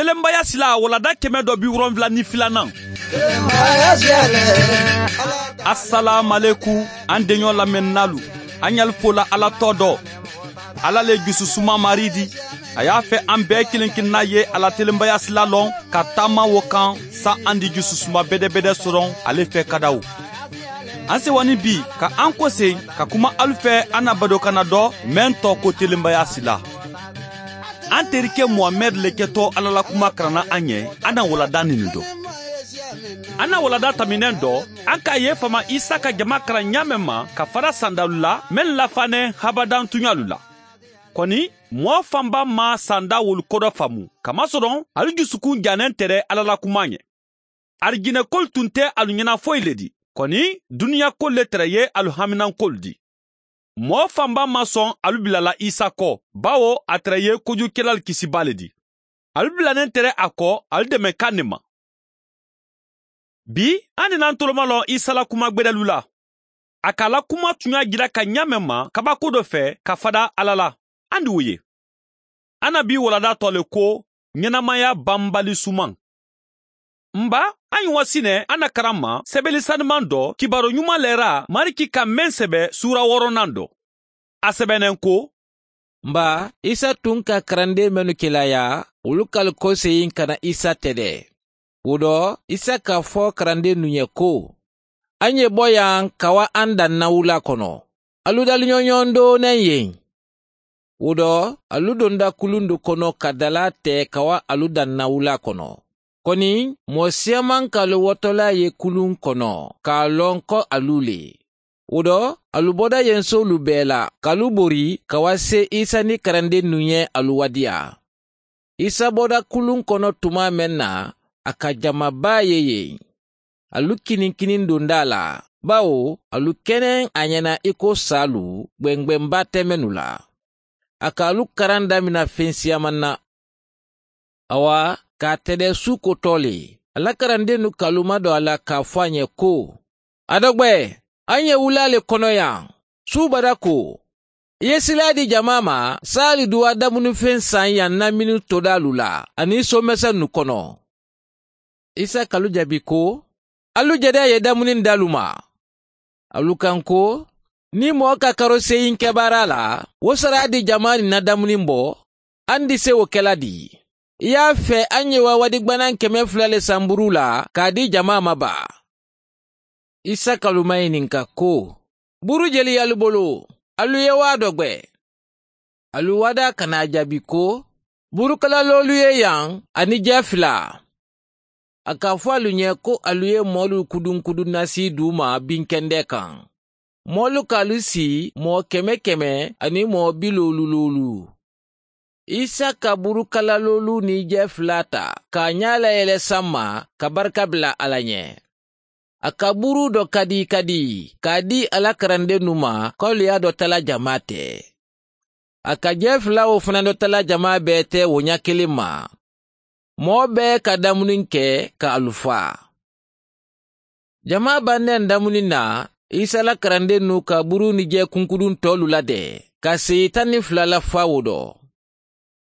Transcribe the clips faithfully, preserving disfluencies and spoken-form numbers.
Telenbaya sila walanda kɛmɛ dɔ bi wolonwula ni filanan. Asalaamualekum, an deɲɔ lamɛnninaalu, an ye ali fo la Ala tɔgɔ dɔ. Ala le jususuma Mari di. A y'a fɛ an bɛɛ kelen kelenna ye a la telenbaya sila lɔn ka taama wo kan, sa an di jususuma bedebede sɔrɔ ale fɛ kadaw. An sewani bi ka an kose ka kuma alu fɛ an na badokanna dɔ, meŋ tɔgɔ ko telenbaya sila. An terike muhamɛdi le kɛtɔ Ala la kuma karanna an ye. An na walanda nini dɔ. An na walanda taminɛn dɔ, an k'a ye faama Isa ka jama karan ɲaamɛ ma ka fara sandalu la meŋ lafannen habadan tuɲalu la. Kɔni, mɔɔ fanba ma sanda wolu kodɔ faamu, kamasɔrɔ alu jusukun jannen tere Ala la kuma ɲɛ. Arijinɛkolu tun tɛ alu ɲɛna foyi le di. Kɔni, duniɲakolu le tere ye alu haminankolu di. Mɔɔ fanba ma sɔn alu bila la Isa kɔ, bawo a tere ye kojukelalu kisibaa le di. Alu bilannen tere a kɔ alu demekan ne ma. Bi, an ni nan toloma lɔn Isa la kuma gbedalu la. A ka la kuma tuɲa jira ka ɲaamɛ ma kabako dɔ fɛ ka fada Ala la. An di wo ye. An na bi walanda tɔ le ko ɲɛnamaya banbali suman. N ba, an ye wa sinɛ an na karan ma sɛbɛli sanuman dɔ kibaru ɲuman lɛra mariki ka meŋ sɛbɛ suura wɔɔrɔnan dɔ. A sɛbɛnnen ko, n ba, Isa tun ka karanden mennu kelaya, wolu ka alu koseyin ka na Isa tɛdɛ. Wo dɔ, Isa ka fɔ karandennu ye ko, an ye bɔ yan ka wa an dan na wula kono. Alu dali ɲoɲon doonen yen. Wo dɔ, alu donda kulundu kono ka dala te ka wa alu dan na wula kono. Koni, moo siyaman ka alu wotola ye kulun kono ka a lon ko alu le. Wo dɔ, alu boda yen solu bee la ka alu bori ka wa se Isa ni karandennu ye alu wadiya. Isa boda kulun kono tuma men na, a ka jama baa ye yen. Alu kininkinin donda a la, bawo alu kenen a ɲena i ko saalu, gbengbenba te mennu la. A ka alu karan damina fen siyaman na. Awa, ka a tede suuko too le, a la karandennu ka alu madon a la ka a fo a ɲe ko, a dogbe, an ye wula le kono yan. Suubada ko, i ye sila di jama ma, saali duwa damuni fen san yan na minu todaalu la, ani somesennu kono. Isa ka alu jabi ko, alu jede ye damuni daalu ma. Alu kan ko, ni moo ka karoseyin kebaara la, wo sara di jama ni na damuni bo, an di se wo kela di? I ye a fe an ye wa wadi gbanan keme fula le san buru la ka a di jama ma ba? Isa ka alu mayininka ko, buru jeli ye alu bolo? Alu ye waa dogbe? Alu wada ka na a jabi ko, buru kala loolu ye yan, ani jee fila. A ka a fo alu ɲe ko alu ye moolu kudunkudun nasi duu ma binkende kan. Moolu ka alu sii moo keme keme ani moo bi loolu loolu. Isa ka buru kala loolu ni jee fila ta ka a ɲaa layele sanma ka barika bila ala ɲe. A ka buru do kadi kadi ka a di a la karandennu ma, ko alu ye a do tala jama te. A ka jee fula wo fana do tala jama bee te wo ɲa kiliŋ ma. Moo bee ka damuniŋ ke ka alu faa. Jama bande n damuniŋ na, isa la karandennu ka buru ni jee kunkudun toolu la de ka seyi tan ni fula la faa wo do.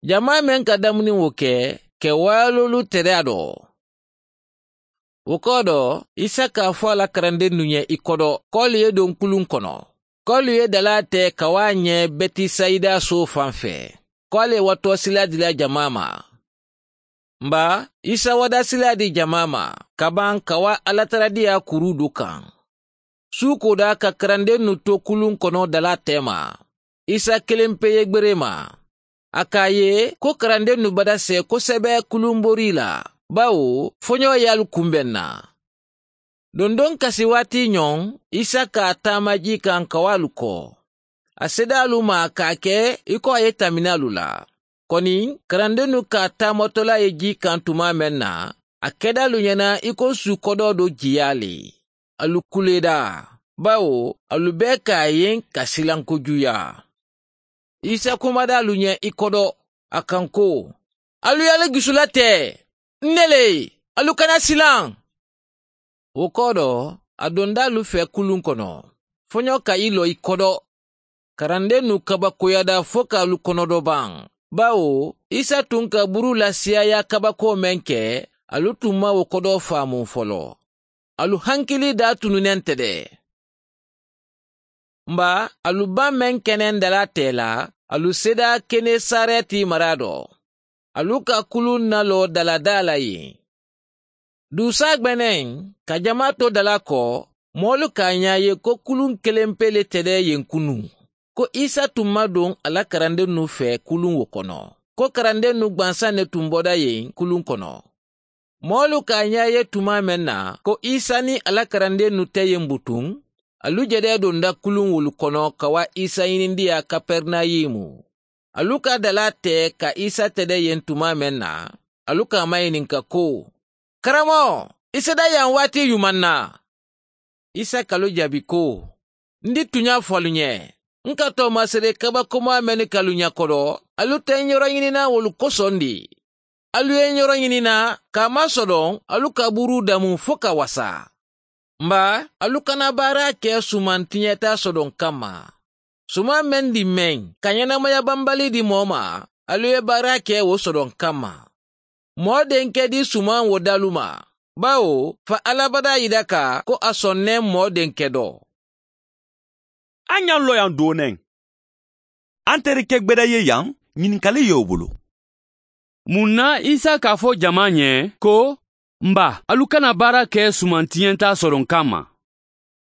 Jama meŋ ka damuniŋ wo ke, ke waayaloolu tere a do. Wo kodo, isa ka a fo a la karandennu ɲe i kodo, ko ali ye don kuluŋ kono, ko ali ye dalaa te ka waa ɲe betisayida soo faŋ fe, ko ali ye watoo sila dila jama ma. Mba, isa wada sila di jama ma ka baŋ ka waa alataradiya kuru du kaŋ. Suuko da ka karandennu to kuluŋ kono dalaa te ma, isa kelempe ye gbere ma. A ka a ye ko karandennu bada se kosebe kuluŋ bori la, bawo foɲoo ye alu kunbeŋ na. Dondon kasi waati ɲoŋ, isa ka a taama jii kaŋ ka wo alu ko. A seedaalu ma ka a ke i ko a ye tamini alu la. Koni, karandennu ka a taamatolaa ye jii kaŋ tuma meŋ na, a kedaalu ɲena i ko su kodoo do jiyaa le. Alu kuleeda, bawo alu bee ka a ye ka silanko juyaa. Isa kumadaalu ɲe i kodo, a kaŋ ko, alu ye alu jusu la te. N ne le, alu kana silaŋ. Wo kodo, a donda alu fe kuluŋ kono, foɲoo ka i loo i kodo. Karandennu kabakoyada fo ka alu konodo baŋ. Bawo isa tun ka buru la siyaaya kabakoo meŋ ke, alu tun maŋ wo kodoo faamu foloo. Alu hankilii daa tunu neŋ te de. Mba, alu baŋ meŋ keneŋ dalaa tee la, alu seedaa kenesareti maraa do. Alu ka kuluŋ naloo dala daa la yen. Duusaa gbeneŋ, ka jamaa to dala ko, moolu ka a ñaa ye ko kuluŋ keleŋ pee le te de yen kunuŋ, ko isa tun maŋ duŋ a la karandennu fee kuluŋ wo kono, ko karandennu gbansaŋ ne tun boda yen kuluŋ kono. Moolu ka a ñaa ye tumaa meŋ na ko isa niŋ a la karandennu te yen butuŋ, alu jedee donda kuluŋ wolu kono ka waa isa ñinindiyaa kaperinayumu. Alu ka dalaa tee ka isa tede yen tumaa meŋ na, alu ka a mayininka ko, karamoo, i seda yaŋ waati yumaŋ na? Isa ka alu jaabi ko, n di tuñaa fo alu ñe, n ka toomasere kabakomaa mennu ke alu ña kodo, alu te ñoroñininaa wolu kosoŋ di. Alu ye ñoroñininaa ka a maŋ sodoŋ, alu ka buruu damu fo ka wasa. Mba, alu kana baara ke sumantiñetaa sodoŋ kamma. Sumaŋ meŋ di meŋ ka ñenamaya bambali di moo ma, alu ye baara ke wo sodoŋ kamma. Moo denke di sumaŋ wo dalu ma, bawo fa alabadaa yidaka ko a soŋ ne moo denke do. A ñaŋ loyaŋ dooneŋ. Anterike gbeda ye yaŋ, ñininkali ye wo bulu. Muŋ na isa ka a fo jamaa ñe ko, mba, alu kana baara ke sumantiñentaa soroŋ kamma?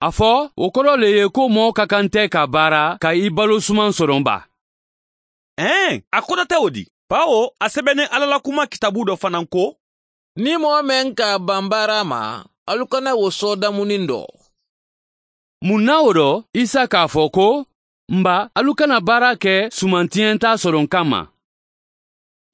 A fo wo kodoo le ye ko moo ka kante ka baara ka i baloo sumaŋ soroŋ baa. Ee, a kodota wo di, baawo a sebeneŋ alla la kumaa kitaabuu do fanaa ko, niŋ moo meŋ ka a baŋ baara ma, alu kana wo soo damuniŋ do. Muŋ na wo do, isa ka a fo ko, mba, alu kana baara ke sumantiñentaa soroŋ kamma.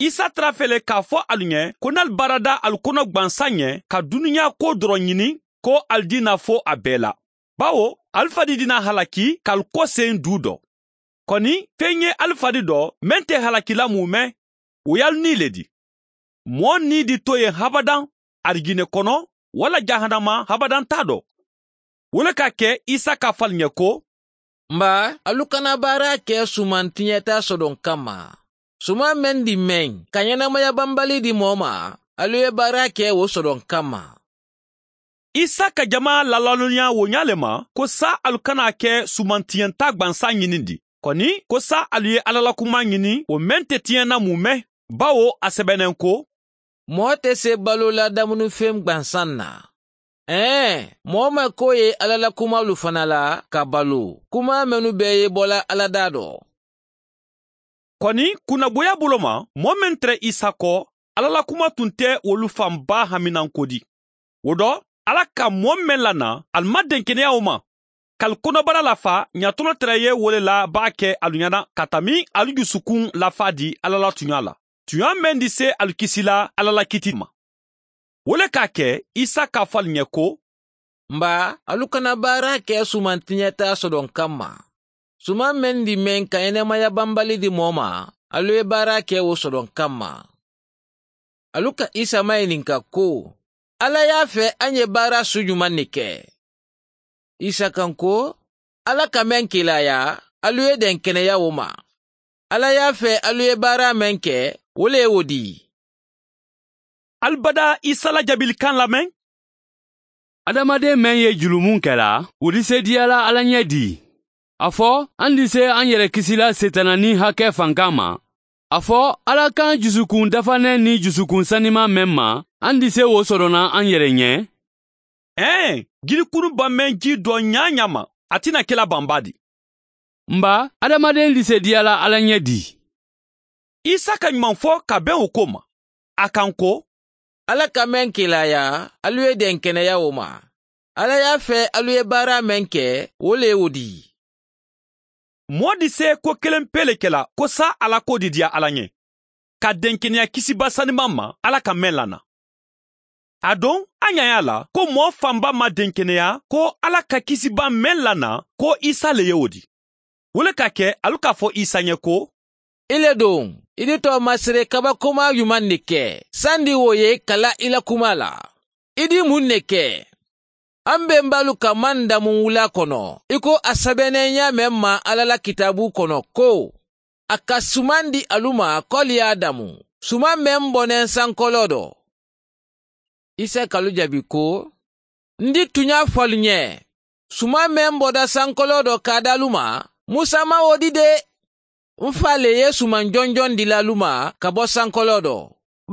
Isa tara fele k'a fo alu ñe ko n'alu baarada alu kono gbansaŋ ñe ka duniyaa kuwo doroŋ ñini, ko alu dii na fo a bee la. Baawo alu fadi dii na halaki ka alu kooseyi duu do. Koni feŋ ye alu fadi do meŋ te halaki la muume, wo ye alu nii le di. Moo nii di to yen habadaŋ, arijine kono walla jahannama habadaŋ taa do. Wo le ka a ke isa ka a fo ali ñe ko, mba, alu kana baara ke sumantiñetaa sodoŋ kamma. Sumaŋ meŋ di meŋ ka ñenamaya bambali di moo ma, alu ye baara ke wo sodoŋ kamma. Isa ka jamaa laalalooniyaa wo ñaa le ma ko saayiŋ alu kana a ke sumantiñentaa gbansaa ñinindi, koni ko saayiŋ alu ye alla la kumaa ñini wo meŋ te tiñena muume. Baawo a sebeneŋ ko, moo te see baloo la damunifeŋ gbansaŋ na. Ee, moo ma ko ye alla la kumaalu fanaa la ka baluu, kumaa mennu bee ye bola alla daa do. Koni kunnaboyaa bolo ma, moo meŋ tere isa ko alla la kumaa tun te wolu fan baa haminanko di. Wo do, alla ka moo meŋ lana ali ma denkeneyaa wo ma, ka ali konobara lafaa ñatolo tere ye wo le la baa ke alu ñaana ka tambi alu jusukun lafaa di alla la tuñaa la, tuñaa meŋ di see alu kisi la alla la kiiti ma. Wo le ka a ke isa ka a fo ali ñe ko, mba, alu kana baara ke sumantiñetaa sodoŋ kamma. Sumaŋ meŋ di meŋ ka yenemaya bambali di moo ma, alu ye baara ke wo sodoŋ kamma. Alu ka isa mayininka ko, alla ye a fee a ye baara su jumaŋ ne ke? Isa ka ko, alla ka meŋ kiilaayaa, alu ye denkeneya wo ma. Alla ye a fee alu ye baara meŋ ke, wo le ye wo dii. Ali badaa isa la jaabilikaŋ lameŋ. Adamadeŋ meŋ ye julumu kela, wo disediya la alla ñe dii. A fo, a n disee a n yere kisi la seetaana niŋ hake fankaa ma. A fo, alla ka n jusukun dafaneŋ niŋ jusukun sanimaa meŋ ma, a n disee wo soto naŋ a n yere ñe. Ee, jiri kunu baŋ meŋ jii doo ñaa-ñaa ma, a ti na ke la baŋ baa di. Mba, adamadeŋ disediya la alla ñe dii. Isa ka ñumaŋ fo ka beŋ wo ko ma. A ka n ko, alla ka meŋ kiilaayaa, alu ye denkeneya wo ma. Alla ye a fee alu ye baara meŋ ke, wo le ye wo dii. Moo disee ko keleŋ pee le ke la ko saayiŋ a la koo didiya alla ñe, ka denkeneya kisiba sanimaŋ ma alla ka meŋ lana. Aduŋ a ñaayaa la ko moo fanba maŋ denkeneya ko alla ka kisiba meŋ lana, ko isa le ye wo di. Wo le ka a ke alu ka a fo isa ñe ko, i le duŋ, i di toomasere kabakomaa jumaŋ ne ke, sandi wo ye ka la i la kumaa la? I di muŋ ne ke? A m bembaalu ka maŋ damuŋ wulaa kono, i ko a sebeneŋ ñaameŋ maŋ alla la kitaabuu kono ko, a ka sumaŋ di alu ma ko ali ye a damu, sumaŋ meŋ boneŋ sankoloo do. Isa ka alu jabi ko, n di tuñaa fo alu ñe, sumaŋ meŋ boda sankoloo do ka a da alu ma, musa maŋ wo di de. N faa le ye sumaŋ jonjoŋ dila alu ma ka bo sankoloo do,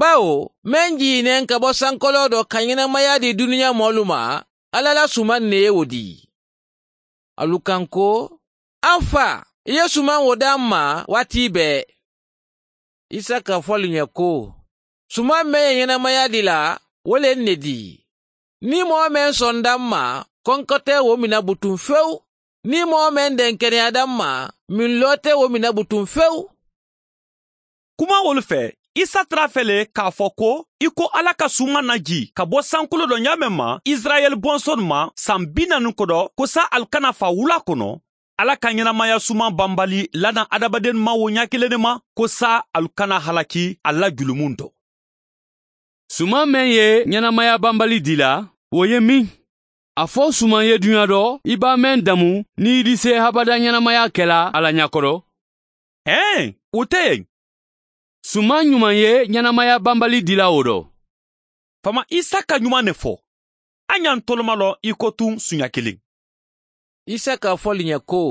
bawo meŋ jii neŋ ka bo sankoloo do ka ñenamaya di duniya moolu ma, alla la sumaŋ ne ye wo di. Alu kaŋ ko, a n faa, i ye sumaŋ wo daa m ma waati bee. Isa ka fo alu ñe ko, sumaŋ meŋ ye ñenamaya di la, wo le n ne di. Niŋ moo meŋ sonda m ma, konkotee wo mina butuŋ fewu. Niŋ moo meŋ denkeneyaata m ma, minloo te wo mina butuŋ fewu. Kumaawolu fee, isa tara a fee le k'a fo ko, i ko alla ka sumaŋ najii ka bo sankoloo do ñaameŋ ma isirayeli bonsonu ma saŋ bi naani kodo, ko saayiŋ ali kana faa wulaa kono, alla ka ñenamaya sumaŋ bambali lanaŋ adamadennu ma wo ñaa kiliŋ ne ma, ko saayiŋ ali kana halaki ali la julumunto. Sumaŋ meŋ ye ñenamaya bambali dila, wo ye miŋ? A fo sumaŋ ye duña do i be a meŋ damu niŋ i disee habada ñenamaya kela a la ñakodo? Hee, wo te yen. Sumaŋ ñumaŋ ye ñenamaya bambali dila wo do? Faama isa ka ñumaŋ ne fo. A ñantolomalo i ko tuŋ suña kiliŋ. Isa ka fo le ñe ko,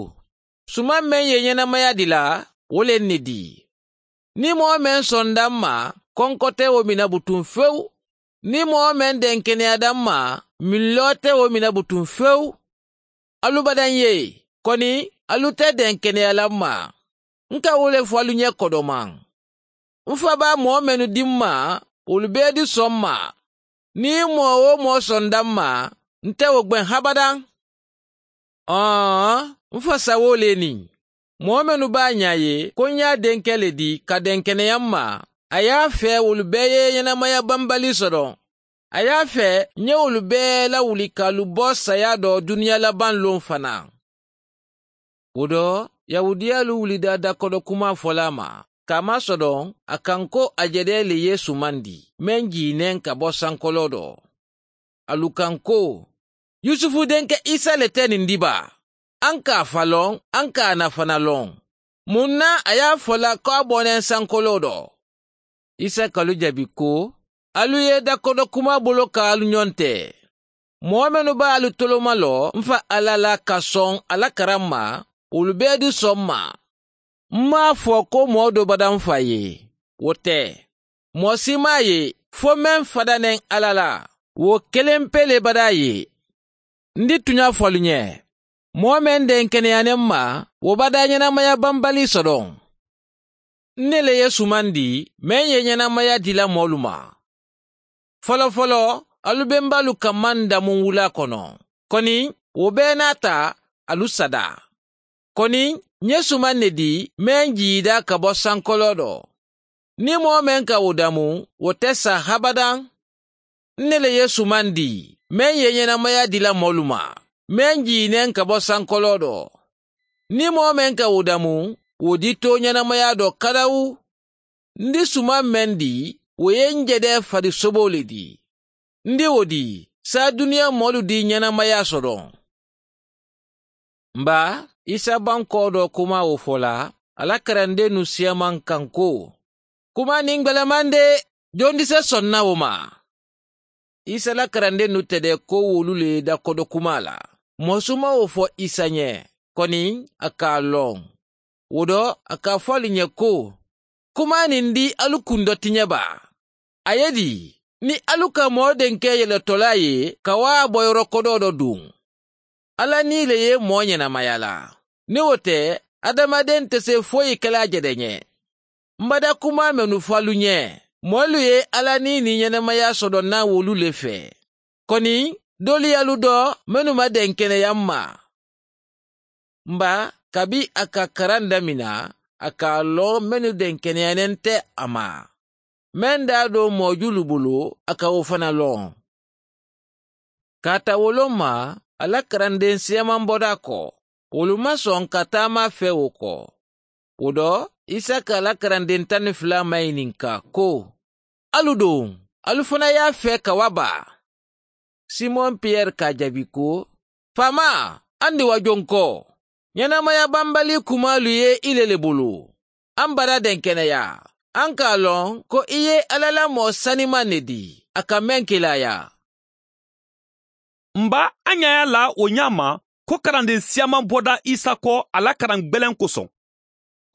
sumaŋ meŋ ye ñenamaya dila, wo le n ne di. Niŋ moo meŋ sonda m ma, konko te wo mina butuŋ fewu. Niŋ moo meŋ denkeneyaata m ma, minloo te wo mina butuŋ fewu. Alu badaŋ ye, koni alu te denkeneya la m ma. N ka wo le fo alu ñe kodomaŋ. N fa be a moo mennu di m ma, wolu bee di soŋ ma. Niŋ moo-wo-moo sonda m ma, n te wo gbeŋ habadaŋ. Ɔɔn, n fa sawo le niŋ moo mennu be a ñaa ye ko n ye a denke le di ka denkeneya m ma, a ye a fee wolu bee ye ñenamaya bambali soto. A ye a fee n ye wolu bee lawuli ka alu bo saya do duniya labaŋ loŋ fanaa. Wo do, yahuudiyaalu wulita dakodo kumaa fola a ma ka a masodoŋ, a kaŋ ko a jedee le ye sumandi meŋ jii neŋ ka bo sankoloo do. Alu kaŋ ko, yusufu denke isa le te niŋ di baa? A n ka a fa loŋ, a n ka a nafana loŋ. Muŋ na a ye a fola ko a boneŋ sankoloo do? Isa ka alu jabi ko, alu ye dakodo kumaa bolo ka alu ñoŋ te. Moo mennu be alu toloma lo m fa alla la ka soŋ a la karaŋ ma, wolu bee di soŋ ma. M maŋ a fo ko moo do bada m fa ye. Wo te. Moo si maŋ a ye fo meŋ fada neŋ alla la, wo keleŋ pee le bada a ye. N di tuña fo alu ñe, moo meŋ denkeneya ne m ma, wo bada ñenamaya bambali sodoŋ. N ne le ye sumandi meŋ ye ñenamaya dila moolu ma. Folofoloo, alu be m baalu kamma n damuŋ wulaa kono. Koni wo bee naata, alu sada. Koni ǹ ye sumaŋ ne di meŋ jiida ka bo sankoloo do. Niŋ moo meŋ ka wo damu, wo te saa habadaŋ. N ne le ye sumaŋ di meŋ ye ñenamaya dila moolu ma, meŋ jii neŋ ka bo sankoloo do. Niŋ moo meŋ ka wo damu, wo di to ñenamaya do kadawu. N di sumaŋ meŋ di, wo ye n jedee fadi soboo le di. N di wo di, saa duniya moolu di ñenamaya sodoŋ. N baa, isa bankoo do kumaa wo fo la, a la karandeennu siyamaŋ kaŋ ko, kumaa niŋ gbelemaŋ de, jondi se sonna wo ma? Isa la karandeennu tedee ko wolu le ye dakodo kumaa la. Moo su maŋ wo fo isa ñe, koni a ka a loŋ. Wo do, a ka a fo ali ñe ko, kumaa niŋ di alu kundo ti ñe baa? A ye di, niŋ alu ka moo denke yele tolaa ye ka wo a bo yoro kodoo do duŋ? Alla nii le ye moo ñenamaya la. Niŋ wo te, adamadeŋ te see foyi ke la a jede ñe. M bada kumaa mennu fo alu ñe, moolu ye alla nii niŋ ñenamaya soto naŋ wolu le fee. Koni doolu ye alu doo mennu ma denkeneya m ma. M baa, kabiŋ a ka karaŋ damina, a ka a loŋ mennu denkeneyaneŋ te a ma. Meŋ daa doo moojulu bulu, a ka wo fanaa loŋ. Kaata wo loŋ ma, a la karandeŋ siyamaŋ bodaa ko, wolu maŋ soŋ ka taama a fee wo ko. Wo do, isa ka a la karandeŋ taŋ niŋ fulaa mayininka ko, alu duŋ, alu fanaa ye a fee ka wa baa? Simoŋ piyeri ka a jaabi ko, faamaa, a ndiwa joŋ ko, ñenamaya bambalii kumaalu ye i le le bulu. an bara denkeneya. An ka a loŋ ko i ye alla la moo sanimaŋ ne dii a ka meŋ ke la yaa. N ba, a ɲaaya la wo ɲaa ma ko karandeŋ siyaamaa boda isa ko a la karaŋ gbeleŋ kosoŋ.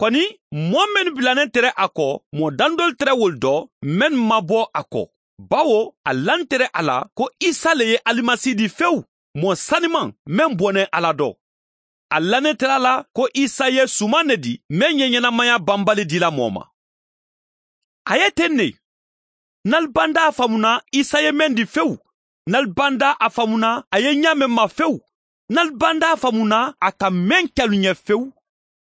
Koni, moo mennu bilaneŋ tere a ko, moo dandolu tere wolu do mennu maabo a ko. Bawo a lantere a la ko isa le ye alimasi di fewu, moo sanimaŋ meŋ boneŋ alla do. A lanetera a la ko isa ye sumaŋ ne di meŋ ye ɲenamaya banbali dila moo ma. A ye teŋ ne. Ǹ ali banda a famu na isa ye meŋ di fewu, ǹ ali banda a famu na a ye ɲaa meŋ ma fewu, ǹ ali banda a famu na a ka meŋ ke alu ɲe fewu,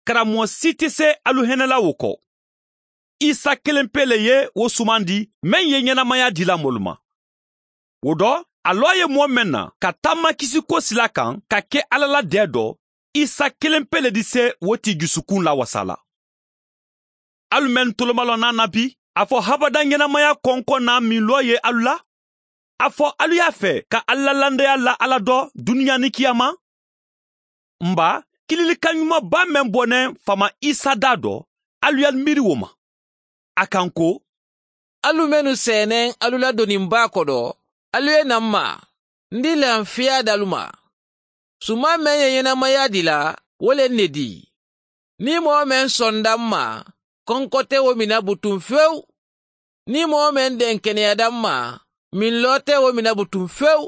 karamoo si ti se alu hene la wo ko. Isa keleŋ pe le ye wo sumandi meŋ ye ɲenamaya dila moolu ma. Wo do, a loo ye moo meŋ na ka taama kisiko sila kaŋ ka ke alla la dee do, isa keleŋ pe le di se wo ti jusukuŋ lawasa la. Alu mennu tolomaloo naa na bi, a fo habada ɲenamaya konkoŋ naa miiloo ye alu la? A fo alu ye a fee ka alla landeya la alla do duniyaa niŋ kiyaama? N ba, kililikaŋ ɲuman baa meŋ boneŋ faama isa daa do, alu ye alu miiri wo ma. A kaŋ ko, alu mennu seeneŋ alu la doniŋ baa kodo, alu ye naa m ma. N di lahaŋ fiyaa dalu ma. Sumaŋ meŋ ye ɲenamaya dila, wo le n ne dii. Niŋ moo meŋ sonda m ma, konko te wo mina butuŋ fewu. Niŋ moo meŋ denkeneyata m ma, miŋ loo te wo mina butuŋ fewu.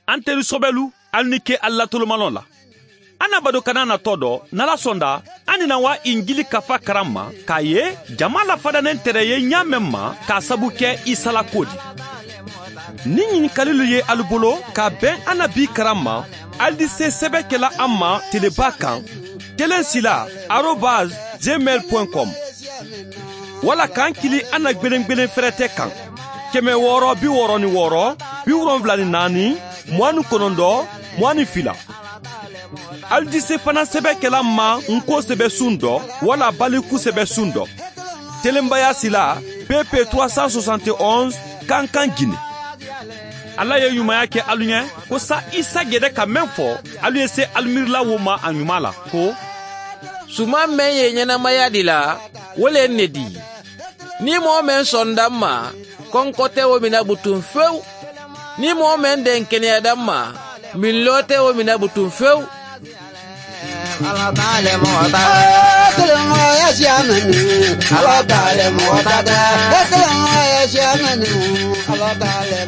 Anteri sobelu, ali ni ke ali la tolomaloo la. Anabado kana na too do nala sonda, a ni na waa injili kafa karamma ka a ye jamaa la fadaneŋ tere ye ɲaa meŋ ma ka a sabu ke isa la kuwo di. Niŋ ɲinikalilu ye ali bolo ka a beŋ anabi karamma, ali di se sebe kela a ma telebaa kaŋ, keleŋ sila arobas gmail point com. Walla ka n kili a na gbelengbelen ferete kaŋ, keme wooro bi wooro ni wooro, bi wolonwula ni naani, muwaani konondoo, muwaani fila. Ali di se fanaŋ sebe kela n ma n ko sebe suŋ do walla baliku sebe suŋ do. Telenbaya sila, pp trois cent soixante onze, kankan gine. Alla ye ɲumaya ke alu ɲe ko sa isa gede ka meŋ fo, alu ye se alu miirila wo ma a ɲumaa la ko, sumaŋ meŋ ye ɲenamaya dila, wo le n ne dii. Niŋ moo meŋ sonda m ma, konko te wo mina butuŋ fewu. Niŋ moo meŋ denkeneyata m ma, miŋ loo te wo mina butuŋ fewu. Ala taale moo ta, silamaya siya meni. Ala taale moo ta, silamaya siya meni. Ala taale.